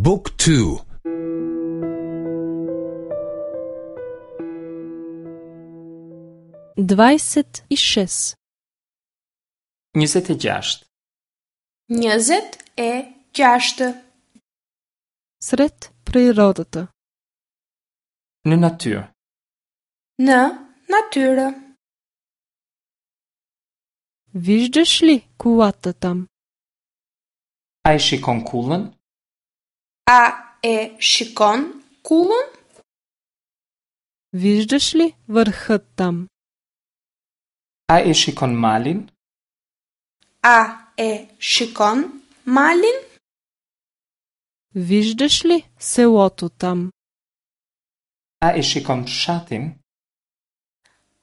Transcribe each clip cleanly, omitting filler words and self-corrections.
บุ๊กทู 26. 26. 26. Сред природата. Në natyrë. Në natyrë. Виждаш ли кулата там? A e shikon kullën? A e shikon kullën? Виждаш ли върхът там? A e shikon malin? A e shikon malin? Виждаш ли селото там? A e shikon fshatin?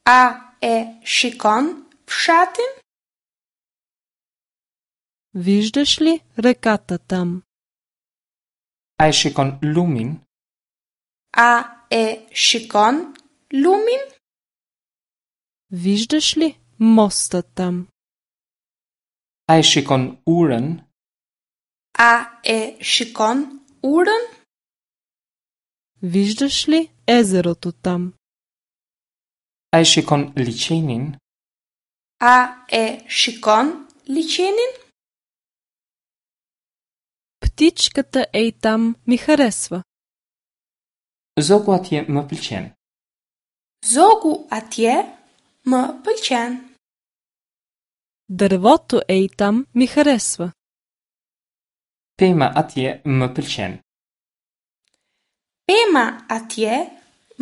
A e shikon fshatin? Виждаш ли реката там? A e shikon lumin? A e shikon lumin? Виждаш ли моста там? A e shikon urën? A e shikon urën? Виждаш ли езерото там? A e shikon liqenin? A e shikon liqenin? Птичката ей там ми харесва. Zogu atje më pëlqen. Zogu atje më pëlqen. Дървото ей там ми харесва. Pema atje më pëlqen. Pema atje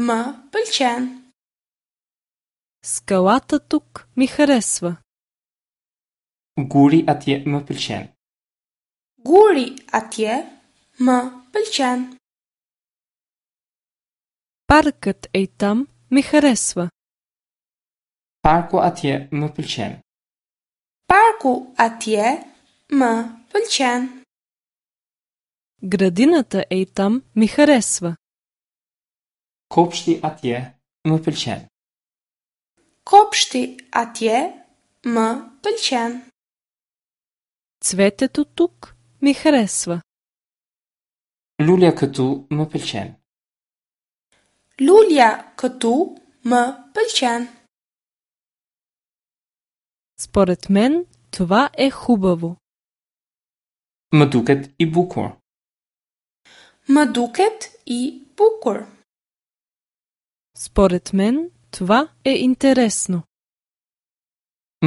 më pëlqen. Скалата тук ми харесва. Guri atje më pëlqen. Guri atje më pëlqen. Паркът ей там ми харесва. Parku atje më pëlqen. Parku atje më pëlqen. Градината ей там ми харесва. Kopshti atje më pëlqen. Kopshti atje më pëlqen. Цветето тук ми харесва. Lulja këtu më pëlqen. Lulja këtu më pëlqen. Според мен това е хубаво. Më duket i bukur. Më duket i bukur. Според мен това е интересно.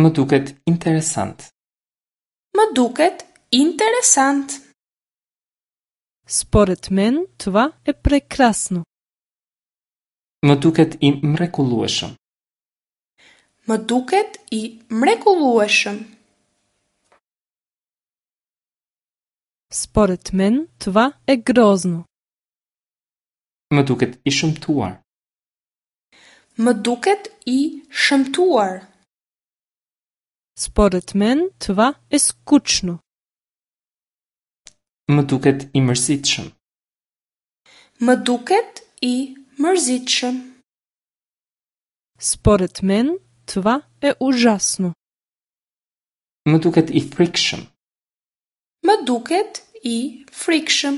Më duket interesant. Më duket interesant. Според мен това е прекрасно. Më duket i mrekullueshëm. Më duket i mrekullueshëm. Според мен това е грозно. Më duket i shëmtuar. Më duket i shëmtuar. Според мен това е скучно. Më duket i mërzitshëm. Më duket i mërzitshëm. Според мен това е ужасно. Më duket i frikshëm. Më duket i frikshëm.